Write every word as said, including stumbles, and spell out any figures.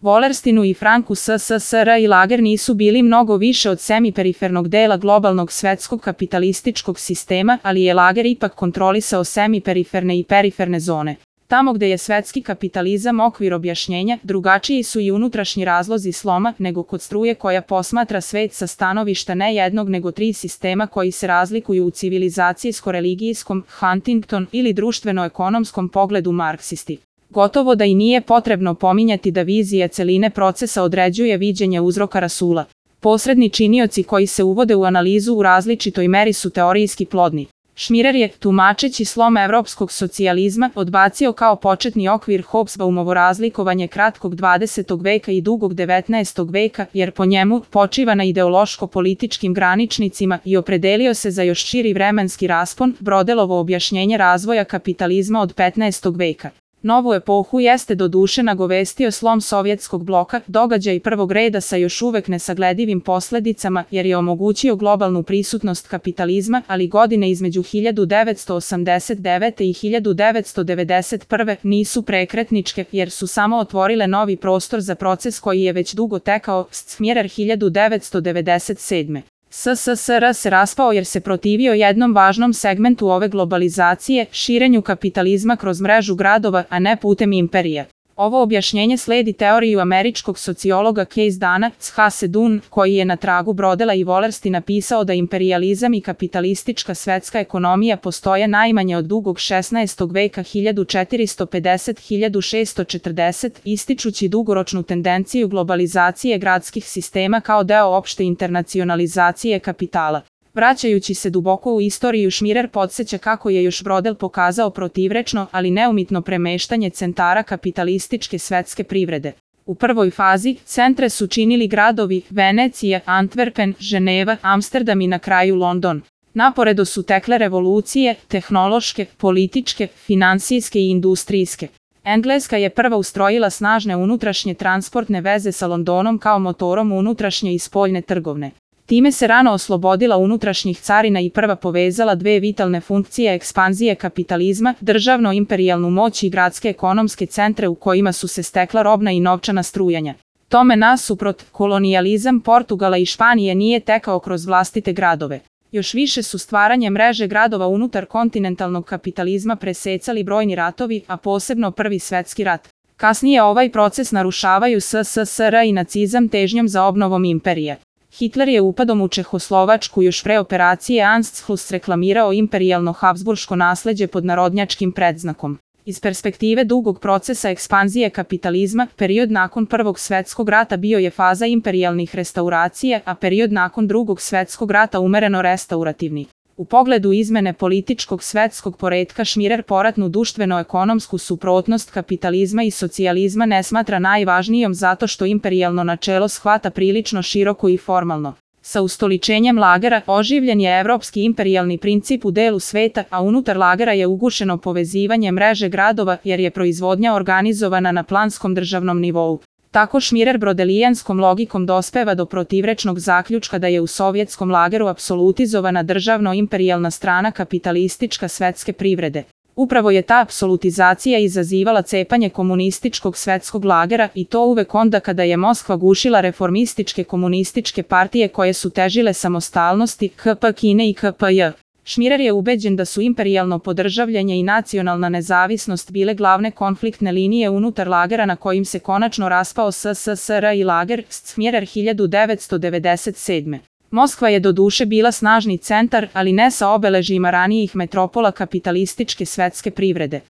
Wallersteinu i Franku S S S R i Lager nisu bili mnogo više od semiperifernog dela globalnog svetskog kapitalističkog sistema, ali je Lager ipak kontrolisao semiperiferne i periferne zone. Tamo gde je svetski kapitalizam okvir objašnjenja, drugačiji su i unutrašnji razlozi sloma nego kod struje koja posmatra svet sa stanovišta ne jednog nego tri sistema koji se razlikuju u civilizacijsko-religijskom, Huntington ili društveno-ekonomskom pogledu marksisti. Gotovo da i nije potrebno pominjati da vizija celine procesa određuje viđenje uzroka rasula. Posredni činioci koji se uvode u analizu u različitoj meri su teorijski plodni. Schmirer je, tumačeći slom evropskog socijalizma, odbacio kao početni okvir Hobsbaumovo razlikovanje kratkog dvadesetog veka i dugog devetnaestog veka, jer po njemu počiva na ideološko-političkim graničnicima i opredelio se za još širi vremenski raspon, Brodelovo objašnjenje razvoja kapitalizma od petnaestog veka. Novu epohu jeste doduše nagovestio slom sovjetskog bloka, događaj prvog reda sa još uvek nesagledivim posledicama, jer je omogućio globalnu prisutnost kapitalizma, ali godine između hiljadu devetsto osamdeset devete. i hiljadu devetsto devedeset prve. nisu prekretničke, jer su samo otvorile novi prostor za proces koji je već dugo tekao, Schmirer hiljadu devetsto devedeset sedme. S S S R se raspao jer se protivio jednom važnom segmentu ove globalizacije, širenju kapitalizma kroz mrežu gradova, a ne putem imperija. Ovo objašnjenje sledi teoriju američkog sociologa Case Dana, H. Sedun, koji je na tragu Brodela i Wallersteina napisao da imperijalizam i kapitalistička svetska ekonomija postoje najmanje od dugog šesnaestog veka hiljadu četiristo pedeset do hiljadu šessto četrdeset, ističući dugoročnu tendenciju globalizacije gradskih sistema kao deo opšte internacionalizacije kapitala. Vraćajući se duboko u istoriju, Schmirer podsjeća kako je još Brodel pokazao protivrečno, ali neumitno premeštanje centara kapitalističke svetske privrede. U prvoj fazi, centre su činili gradovi Venecija, Antwerpen, Ženeva, Amsterdam i na kraju London. Naporedo su tekle revolucije, tehnološke, političke, finansijske i industrijske. Engleska je prva ustrojila snažne unutrašnje transportne veze sa Londonom kao motorom unutrašnje i spoljne trgovine. Time se rano oslobodila unutrašnjih carina i prva povezala dve vitalne funkcije ekspanzije kapitalizma, državno-imperijalnu moć i gradske ekonomske centre u kojima su se stekla robna i novčana strujanja. Tome nasuprot, kolonijalizam Portugala i Španije nije tekao kroz vlastite gradove. Još više su stvaranje mreže gradova unutar kontinentalnog kapitalizma presecali brojni ratovi, a posebno Prvi svetski rat. Kasnije ovaj proces narušavaju S S S R i nacizam težnjom za obnovom imperije. Hitler je upadom u Čehoslovačku još pre operacije Anschluss reklamirao imperijalno habsburško nasleđe pod narodnjačkim predznakom. Iz perspektive dugog procesa ekspanzije kapitalizma, period nakon Prvog svetskog rata bio je faza imperijalnih restauracija, a period nakon Drugog svetskog rata umereno restaurativni. U pogledu izmene političkog svetskog poretka Schmirer poratnu društveno-ekonomsku suprotnost kapitalizma i socijalizma ne smatra najvažnijom zato što imperijalno načelo shvata prilično široko i formalno. Sa ustoličenjem Lagera oživljen je evropski imperijalni princip u delu sveta, a unutar Lagera je ugušeno povezivanje mreže gradova jer je proizvodnja organizovana na planskom državnom nivou. Tako Schmirer brodelijanskom logikom dospeva do protivrečnog zaključka da je u sovjetskom lageru apsolutizovana državno-imperijalna strana kapitalistička svetske privrede. Upravo je ta apsolutizacija izazivala cepanje komunističkog svetskog lagera i to uvek onda kada je Moskva gušila reformističke komunističke partije koje su težile samostalnosti, K P Kine i K P J. Schmirer je ubeđen da su imperijalno podržavljanje i nacionalna nezavisnost bile glavne konfliktne linije unutar lagera na kojim se konačno raspao S S S R i lager, Schmirer hiljadu devetsto devedeset sedme. Moskva je doduše bila snažni centar, ali ne sa obeležjima ranijih metropola kapitalističke svetske privrede.